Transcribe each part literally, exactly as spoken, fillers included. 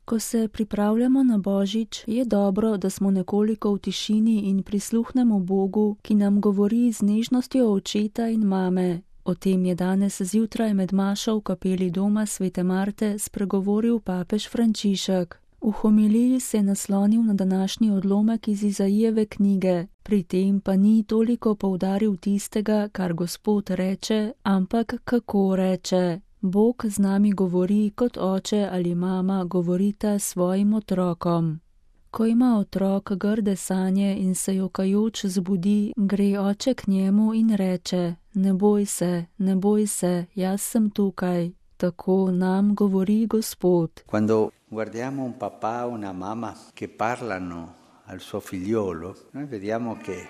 Ko se pripravljamo na Božič, je dobro, da smo nekoliko v tišini in prisluhnemo Bogu, ki nam govori z nežnostjo očeta in mame. O tem je danes zjutraj med mašo v kapeli doma svete Marte spregovoril papež Frančišek. V homiliji se je naslonil na današnji odlomek iz Izajijeve knjige, pri tem pa ni toliko poudaril tistega, kar Gospod reče, ampak kako reče. Bog z nami govori, kot oče ali mama govorita svojim otrokom. Ko ima otrok grde sanje in se jokajoč zbudi, gre oče k njemu in reče: Ne boj se, ne boj se, jaz sem tukaj. Tako nam govori Gospod. Quando guardiamo un papà o una mamma che parlano al suo figliolo, noi vediamo che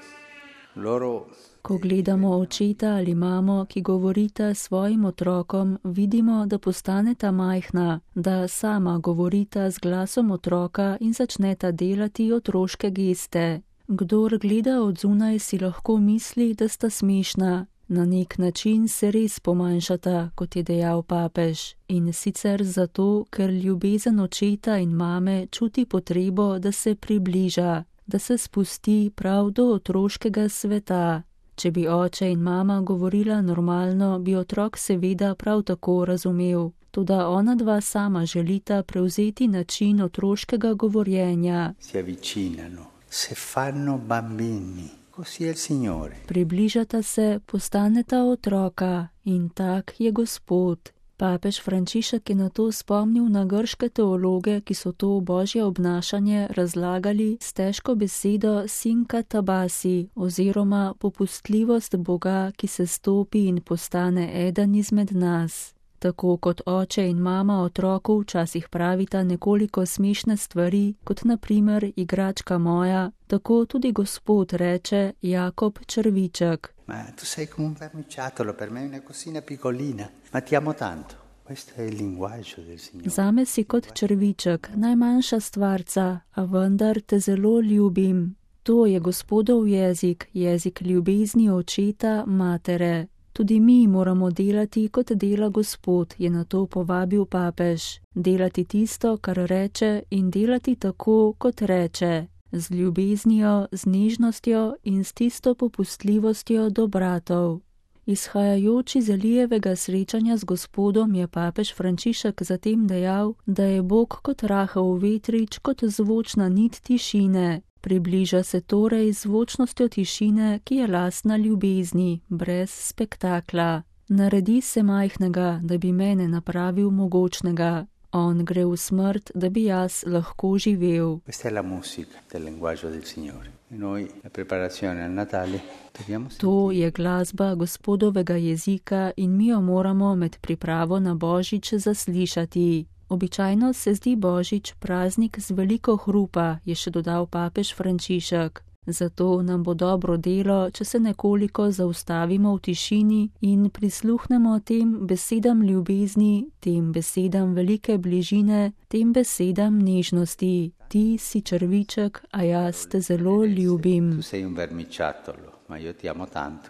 loro Ko gledamo očeta ali mamo, ki govorita svojim otrokom, vidimo, da postaneta majhna, da sama govorita z glasom otroka in začneta delati otroške geste. Kdor gleda od zunaj, si lahko misli, da sta smešna. Na nek način se res pomanjšata, kot je dejal papež. In sicer zato, ker ljubezen očeta in mame čuti potrebo, da se približa, da se spusti prav do otroškega sveta. Če bi oče in mama govorila normalno, bi otrok seveda prav tako razumel. Toda ona dva sama želita prevzeti način otroškega govorjenja. Si avvicinano, se fanno bambini, così è il Signore. Približata se, postaneta otroka in tak je Gospod. Papež Frančišek je na to spomnil na grške teologe, ki so to božje obnašanje razlagali s težko besedo sinka tabasi oziroma popustljivost Boga, ki se stopi in postane eden izmed nas. Tako kot oče in mama otroku včasih pravita nekoliko smešne stvari, kot na primer igračka moja, tako tudi Gospod reče Jakob črviček. Ma tu sei come un vermiciattolo, per me una cosina piccolina, ma ti amo tanto. Questo è il linguaggio del Signore. Zame si kot črviček, najmanjša stvarca, a vendar te zelo ljubim. To je Gospodov jezik, jezik ljubezni očeta, matere. Tudi mi moramo delati, kot dela Gospod, je na to povabil papež. Delati tisto, kar reče, in delati tako, kot reče. Z ljubeznijo, z nežnostjo in s tisto popustljivostjo do bratov. Izhajajoč iz Elijevega srečanja z Gospodom je papež Frančišek zatem dejal, da je Bog kot rahel vetrič, kot zvočna nit tišine. Približa se torej zvočnostjo tišine, ki je lastna ljubezni, brez spektakla. Naredi se majhnega, da bi mene napravil mogočnega. On gre v smrt, da bi jaz lahko živel. Questa è la musica del linguaggio del Signore. E noi la preparazione al Natale dobbiamo sentire. To je glasba Gospodovega jezika in mi jo moramo med pripravo na Božič zaslišati. Običajno se zdi Božič praznik z veliko hrupa, je še dodal papež Frančišek. Zato nam bo dobro delo, če se nekoliko zaustavimo v tišini in prisluhnemo tem besedam ljubezni, tem besedam velike bližine, tem besedam nežnosti. Ti si črviček, a jaz te zelo ljubim. Tu sei un vermiciattolo, ma io ti amo tanto.